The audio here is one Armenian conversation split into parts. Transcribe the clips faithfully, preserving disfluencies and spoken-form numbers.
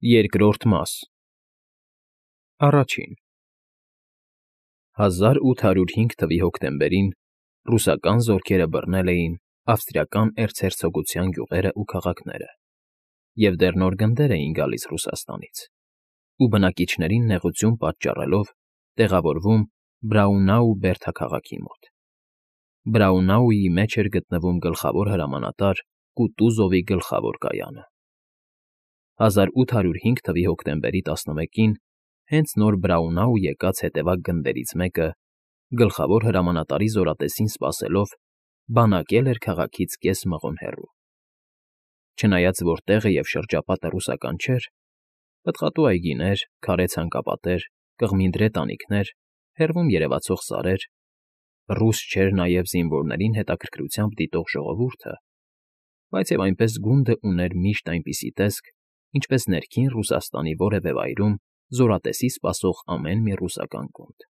Երկրորդ մաս Առաջին հազար ութ հարյուր հինգ թվականի հոկտեմբերին ռուսական զորքերը բռնել էին ավստրիական էրցհերցոգության գյուղերն ու քաղաքները և դեռ նոր գնդեր էին գալիս Ռուսաստանից ու բնակիչներին նեղություն պատճառելով տեղավորվում Բրաունau-Բերթա քաղաքի մոտ։ Բրաունաուի մեջ էր գտնվում գլխավոր հրամանատար Կուտուզովի գլխավոր կայանը։ հազար ութ հարյուր հինգ թվականի հոկտեմբերի տասնմեկին հենց նոր Բրաունաու եկած հետևակ գնդերից մեկը, գլխավոր հրամանատարի զորատեսին սպասելով, բանակել էր քաղաքից կես մղոն հեռու։ Չնայած որ տեղը և շրջապատը ռուսական չէր, պտղատու այգիներ, քարե ցանկապատեր, կղմինդրե տանիքներ, հեռվում երևացող սարեր, ռուս չէր նաև զինվորներին հետաքրքրությամբ դիտող ժողովուրդը, բայց և այնպես գունդը ուներ միշտ այնպիսի տեսք, ինչպես ներքին Ռուսաստանի որևէ վայրում զորատեսի սպասող ամեն մի ռուսական գունդ։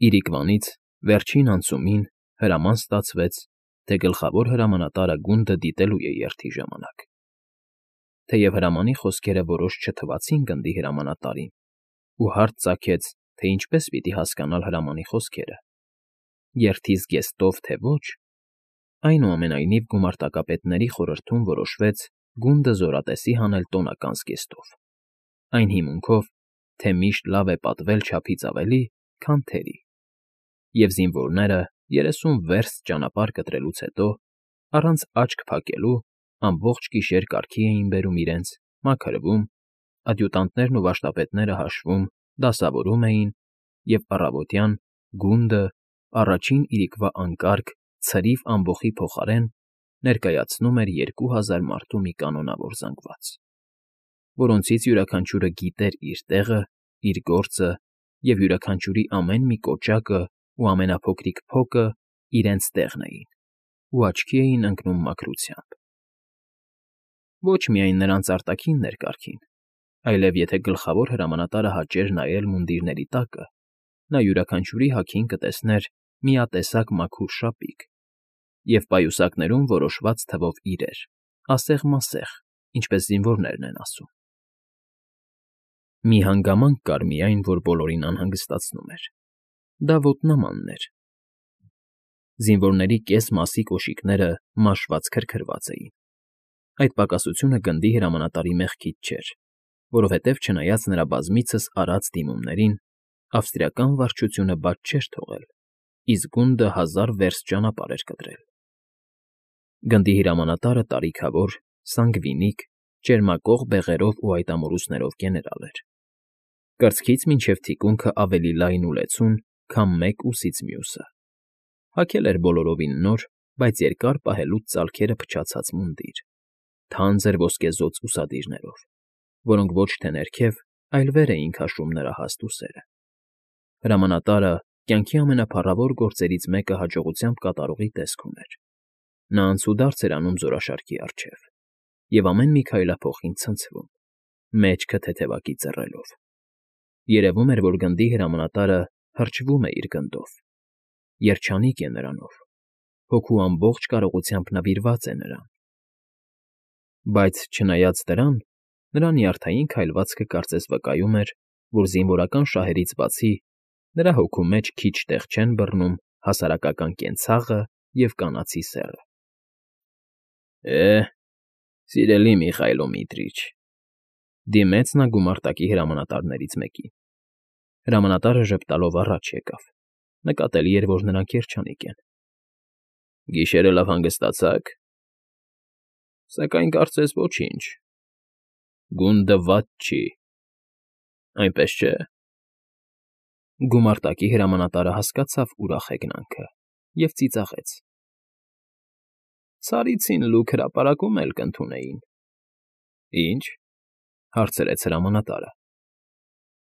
Իրիկվանից վերջին անցումին հրաման ստացվեց, թե գլխավոր հրամանատարը գունդը դիտելու է երթի ժամանակ։ Թեև հրամանի խոսքերը որոշ չթվացին գնդի հրամանատարին, ու հարց ծագեց, թե ինչպես պիտի հասկանալ հրամանի խոսքերը, երթի զգեստով, թե ոչ, այնուամենայնիվ գումարտակապետների խորհրդում որոշվեց գունդը զորատեսի հանել տոնական զգեստով, այն հիմունքով, թե միշտ լավ է պատվել չափից ավելի, քան թերի, և զինվորները երեսուն վերստ ճանապարհ կտրելուց հետո, առանց աչք փակելու, ամբողջ գիշեր կարգի էին բերում իրենց, մաքրվում, ադյուտանտներն ու վաշտապետները հաշվում, դասավորում էին, և առավոտյան գունդը, առաջին իրիկվա անկարգ, ցրիվ ամբոխի փոխարեն ներկայացնում էր երկու հազար մարդու մի կանոնավոր զանգված, որոնցից յուրաքանչյուրը գիտեր իր տեղը, իր գործը և յուրաքանչյուրի ամեն մի կոճակը ու ամենափոքրիկ փոկը իրենց տեղն էին ու աչքի էին ընկնում մաքրությամբ։ Ոչ միայն նրանց արտաքինն էր կարգին, այլև եթե գլխավոր հրամանատարը հաճեր նայել մունդիրների տակը, նա յուրաքանչյուրի հագին կտեսներ միատեսակ մաքուր շապիկ և պայուսակներում որոշված թվով իրեր, ասեղ֊մասեղ, ինչպես զինվորներն են ասում։ Մի հանգամանք կար միայն, որ բոլորին անհանգստացնում էր. դա ոտնամանն էր։ Զինվորների կես մասի կոշիկները մաշված քրքրված էին։ Այդ պակասությունը գնդի հրամանատարի մեղքից չէր, որովհետև չնայած նրա բազմիցս արած դիմումներին, ավստրիական վարչությունը բաց չէր թողել, իսկ գունդը հազար վերստ ճանապարհ էր կտրել։ Գնդի հրամանատարը տարիքավոր, սանգվինիկ, ճերմակող բեղերով ու այտամորուսներով գեներալ էր։ Կրծքից մինչև թիկունքը ավելի լայն ու լեցուն, քան մեկ ուսից մյուսը։ Հագել էր բոլորովին նոր, բայց երկար պահելուց ծալքերը փչացած մունդիր, թանձր ոսկեզօծ ուսադիրներով, որոնք ոչ թե ներքև, այլ վեր էին քաշում նրա հաստ ուսերը։ Հրամանատարը կյանքի ամենափառավոր գործերից մեկը հաջողությամբ կատարողի տեսք ուներ։ Նա անցուդարձ էր անում զորաշարքի առջև և ամեն մի քայլափոխին ցնցվում, մեջքը թեթևակի ծռելով։ Երևում էր, որ գնդի հրամանատարը հրճվում է իր գնդով, երջանիկ է նրանով, հոգու ամբողջ կարողությամբ նվիրված է նրան։ Բայց չնայած դրան, նրա նյարդային քայլվածքը կարծես վկայում էր, որ զինվորական շահերից բացի նրա հոգու մեջ քիչ տեղ չեն բռնում հասարակական կենցաղը և կանացի սեռը։ Է՜, սիրելի Միխայիլո Միտրիչ,֊ դիմեց նա գումարտակի հրամանատարներից մեկին։ Հրամանատարը ժպտալով առաջ եկավ, նկատելի էր, որ նրանք երջանիկ են։ Գիշերը լավ հանգստացա՞ք։ Սակայն կարծես ոչինչ։ Գունդը վատ չի, այնպես չէ՞։ Գումարտակի հրամանատարը հասկացավ ուրախ հեգնանքը և ծիծաղեց. Ցարիցին լուք հրապարակում էլ կընդունեին։ Ի՞նչ,֊ հարցրեց հրամանատարը։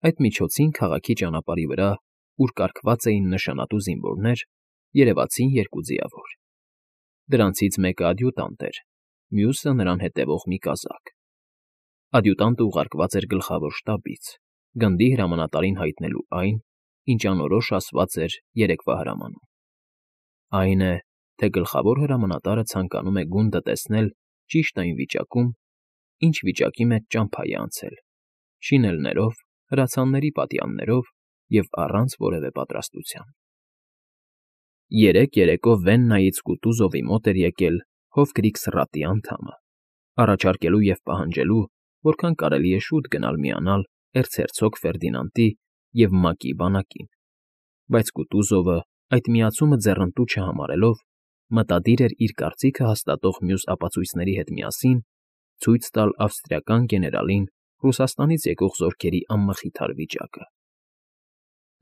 Այդ միջոցին քաղաքի ճանապարհի վրա, ուր կարգված էին նշանատու զինվորներ, երևացին երկու ձիավոր։ Դրանցից մեկը ադյուտանտ էր, մյուսը նրան հետևող մի կազակ։ Ադյուտանտը ուղարկված էր գլխավոր շտաբից, գնդի հրամանատարին հայտնելու այն, ինչ անորոշ ասված էր երեկվա հրամանում։ Այն է, թե գլխավոր հրամանատարը ցանկանում է գունդը տեսնել ճիշտ այն վիճակում, ինչ վիճակի մեջ ճամփա է անցել, շինելներով, հրացանների պատյաններով և առանց որևէ պատրաստության։ Երեկ երեկո Վեննայից Կուտուզովի մոտ էր եկել Հովգրիք սրատի անդամը, առաջարկելու և պահանջելու, որքան կարելի է շուտ գնալ միանալ էրցհերցոգ Ֆերդինանդի և Մակի բանակին, բայց Կուտուզովը, այդ միացումը ձեռնտու չհամարելով, մտադիր էր իր կարծիքը հաստատող մյուս ապացույցների հետ միասին ցույց տալ ավստրիական գեներալին Ռուսաստանից եկող զորքերի անմխիթար վիճակը։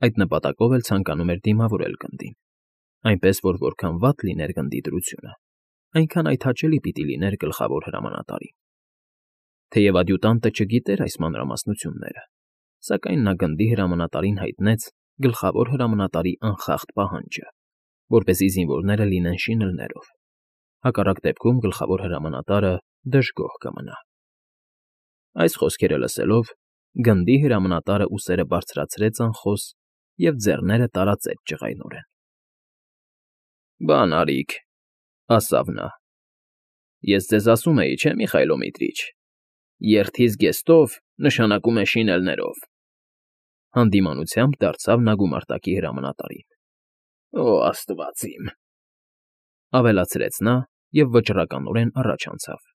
Այդ նպատակով էլ ցանկանում էր դիմավորել գնդին, այնպես որ որքան վատ լիներ գնդի դրությունը, այնքան այդ հաճելի պիտի լիներ գլխավոր հրամանատարին։ Թեև ադյուտանտը չգիտեր այս մանրամասնությունները, սակայն նա գնդի հրամանատարին հայտնեց գլխավոր հրամանատարի անխախտ պահանջը, որպեսզի զինվորները լինեն շինելներով, հակառակ դեպքում գլխավոր հրամանատարը դժգոհ կմնա։ Այս խոսքերը լսելով, գնդի հրամանատարը ուսերը բարձրացրեց անխոս և ձեռները տարածեց ջղայնորեն։ ֊ Բան արիք,֊ ասավ նա,֊ ես ձեզ ասում էի, չէ՞, Միխայիլ Միտրիչ, երթի զգեստով նշանակում է շինելներով… Հանդիմանությամբ դարձավ նա գումարտակի հրամանատարին։ ֊ Օ աստված իմ,֊ ավելացրեց նա և վճռականորեն առաջ անցավ։ ֊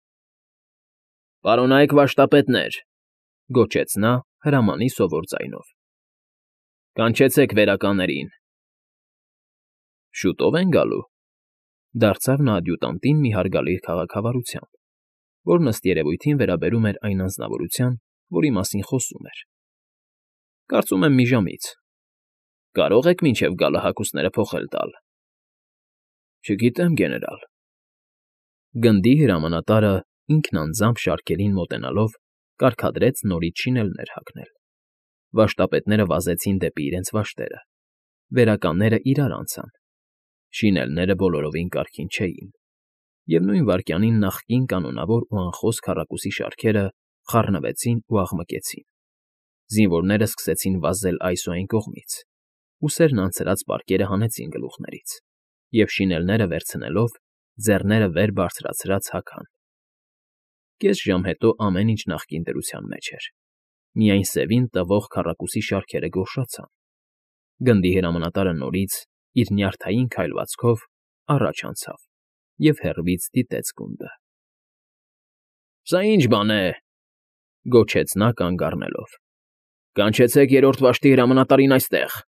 Պարոնայք վաշտապետներ,֊ գոչեց նա հրամանի սովոր ձայնով,֊ կանչեցեք վերականերին։ ֊ Շուտո՞վ են գալու,֊ դարձավ նա ադյուտանտին մի հարգալից քաղաքավարությամբ, որն ըստ երևույթին վերաբերում էր այն անձնավորության, որի մասին խոսում էր։ ֊ Կարծում եմ մի ժամից։ Կարո՞ղ եք մինչև գալը հագուստները փոխել տալ։ ֊ Չգիտեմ, գեներալ… Գնդի հրամանատարը ինքն անձամբ շարքերին մոտենալով կարգադրեց նորից շինելներ հագնել։ Վաշտապետները վազեցին դեպի իրենց վաշտերը, վերականները իրար անցան, շինելները բոլորովին կարգին չէին, և նույն վայրկյանին նախկին կանոնավոր ու անխոս քառակուսի շարքերը խառնվեցին ու աղմկեցին, զինվորները սկսեցին վազել այս ու այն կողմից, ուսերն անցրած պարկերը հանեցին գլուխներից և, շինելները վերցնելով, ձեռները վեր բարձրացրած հագան։ Կես ժամ հետո ամեն ինչ նախկին դրության մեջ էր, միայն սևին տվող քառակուսի շարքերը գորշացան։ Գնդի հրամանատարը նորից, իր նյարդային քայլվածքով, առաջ անցավ և հեռվից դիտեց գունդը։ ֊ Սա ի՞նչ բան է,֊ գոչեց նա կանգ առնելով,֊ կանչեցեք երրորդ վաշտի հրամանատարին այստեղ։ ֊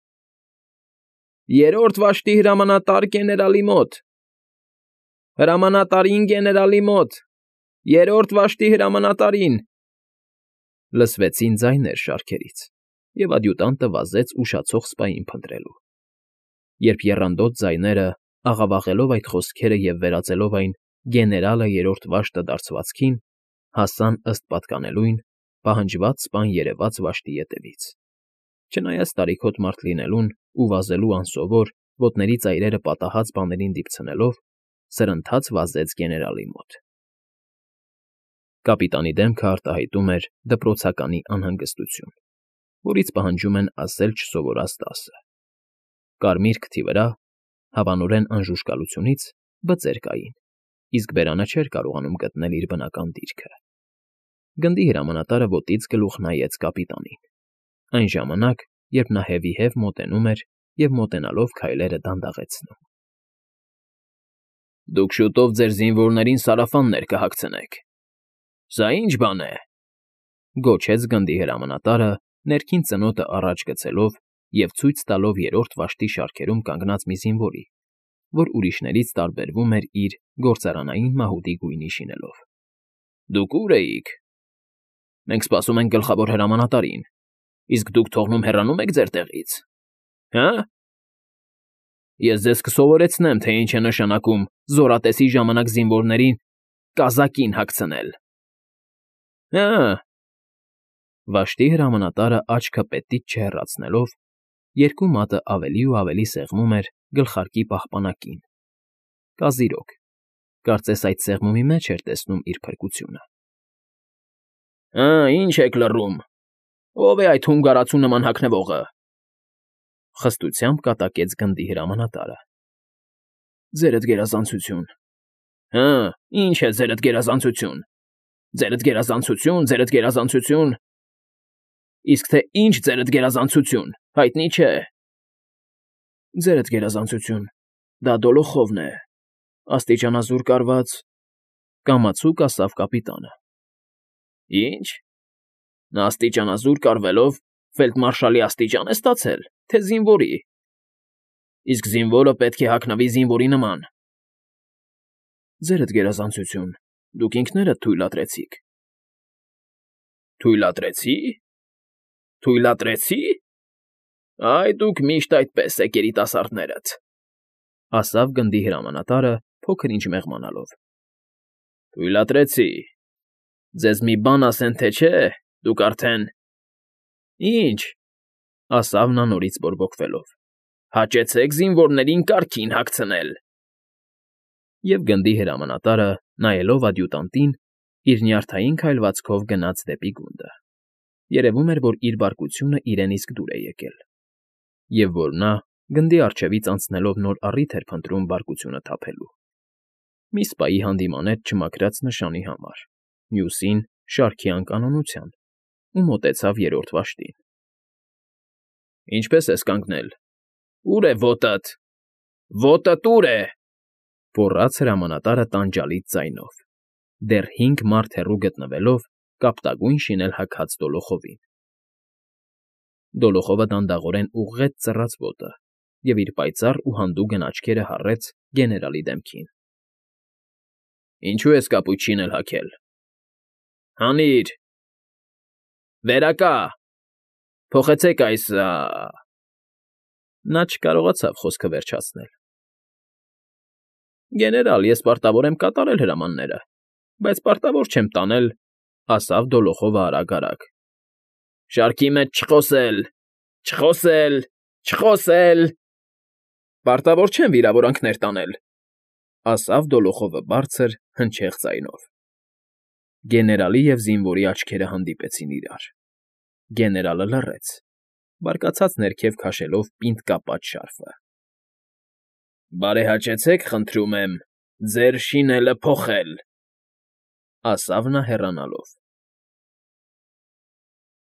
Երրորդ վաշտի հրամանատար գեներալի մոտ… Հրամանատարին գեներալի մոտ… Երրորդ վաշտի հրամանատարին…֊ լսվեցին ձայներ շարքերից, և ադյուտանտը վազեց ուշացող սպային փնտրելու։ Երբ եռանդոտ ձայները, աղավաղելով այդ խոսքերը և վերածելով այն «գեներալը երրորդ վաշտը» դարձվածքին, հասան ըստ պատկանելույն պահանջված սպան երևաց վաշտի ետևից, չնայած տարիքոտ մարդ լինելուն ու վազելու անսովոր, ոտների ծայրերը պատահած բաներին դիպցնելով, սրընթաց վազեց գեներալի մոտ։ Կապիտանի դեմքը արտահայտում էր դպրոցականի անհանգստություն, որից պահանջում են ասել չսովորած դասը։ Կարմիր քթի վրա, հավանորեն անժուշկալությունից, բծեր կային, իսկ բերանը չէր կարողանում գտնել իր բնական դիրքը։ Գնդի հրամանատարը ոտից գլուխ նայեց կապիտանին, այն ժամանակ, երբ նա հևիհև մոտենում էր և մոտենալով քայլերը դանդաղեցնում։ ֊ Դուք շուտով ձեր զինվորներին սարավաններ կհագցնեք… Սա ի՞նչ բան է,֊ գոչեց գնդի հրամանատարը, ներքին ծնոտը առաջ գցելով և ցույց տալով երրորդ վաշտի շարքերում կանգնած մի զինվորի, որ ուրիշներից տարբերվում էր իր գործարանային մահուդի գույնի շինելով։ ֊ Դուք ո՞ւր էիք։ ֊ Մենք սպասում ենք գլխավոր հրամանատարին, իսկ դուք թողնում֊հեռանում եք ձեր տեղից… Հը՞… Ես ձեզ կսովորեցնեմ, թե ինչ է նշանակում զորատեսի ժամանակ զինվորներին կազակին հագցնել… Հը՜… Վաշտի հրամանատարը աչքը պետից չհեռացնելով, երկու մատը ավելի ու ավելի սեղմում էր գլխարկի պահպանակին, կազիրոք, կարծես այդ սեղմումի մեջ էր տեսնում իր փրկությունը։ ֊ Հը, ի՞նչ եք լռում… Ո՞վ է այդ հունգարացու նման հագնվողը,֊ խստությամբ կատակեց գնդի հրամանատարը։ ֊ Ձերդ գերազանցություն… Հը, ի՞նչ է ձերդ գերազանցություն… Ձերդ գերազանցություն, ձերդ գերազանցություն։ Իսկ թե ինչ ձերդ գերազանցություն, հայտնի չէ։ Ձերդ գերազանցություն, դա Դոլոխովն է, աստիճանազուր կարված, կամացուկ ասավ կապիտանը։ Ինչ։ Նա աստիճանազուր կարվելով ֆելդմարշալի աստիճան է ստացել, թե զինվորի։ Իսկ զինվորը պետք է հագնվի զինվորի նման։ Ձերդ գերազանցություն, դուք ինքներդ թույլատրեցիք։ Թույլատրեցի՞։ Թույլատրեցի՞։ Այ դուք միշտ այդպես եք երիտասարդներդ, ասավ գնդի հրամանատարը, փոքր ինչ մեղմանալով։ Թույլատրեցի։ Ձեզ մի բան ասեն, թե չէ, դուք արդեն… Ինչ, ասավ նա նորից բորբոքվելով, հաճեցեք զինվորներին կարգին հագցնել։ Եվ գնդի հրամանատարը, նայելով ադյուտանտին, իր նյարդային քայլվածքով գնաց դեպի գունդը. երևում էր, որ իր բարկությունը իրեն իսկ դուր է եկել, և որ նա, գնդի առջևից անցնելով նոր առիթ էր փնտրում բարկությունը թափելու. մի սպայի հանդիմանեց չմաքրած նշանի համար, մյուսին՝ շարքի անկանոնության, ու մոտեցավ երրորդ վաշտին։ Ինչպե՞ս ես կանգնել։ Ո՞ւր է ոտդ։ Ոտդ ո՞ւր է,֊ գոռաց հրամանատարը տանջալից ձայնով, դեռ հինգ մարդ հեռու գտնվելով կապտագույն շինել հագած Դոլոխովին։ Դոլոխովը դանդաղորեն ուղղեց ծռած ոտը և իր պայծառ ու հանդուգն աչքերը հառեց գեներալի դեմքին։ Ինչո՞ւ ես կապույտ շինել հագել։ Հանիր… Վերակա… Փոխեցեք այս… Նա չկարողացավ խոսքը վերջացնել։ Գեներալ, ես պարտավոր եմ կատարել հրամանները, բայց պարտավոր չեմ տանել, ասավ Դոլոխովը արագ֊արագ։ Շարքի մեջ չխոսել… Չխոսել… Չխոսել… Պարտավոր չեմ վիրավորանքներ տանել, ասավ Դոլոխովը բարձր, հնչեղ ձայնով։ Գեներալի և զինվորի աչքերը հանդիպեցին իրար։ Գեներալը լռեց, բարկացած ներքև քաշելով պինդ կապած շարֆը։ Բարեհաճեցեք, խնդրում եմ, ձեր շինելը փոխել, ասավ նա հեռանալով։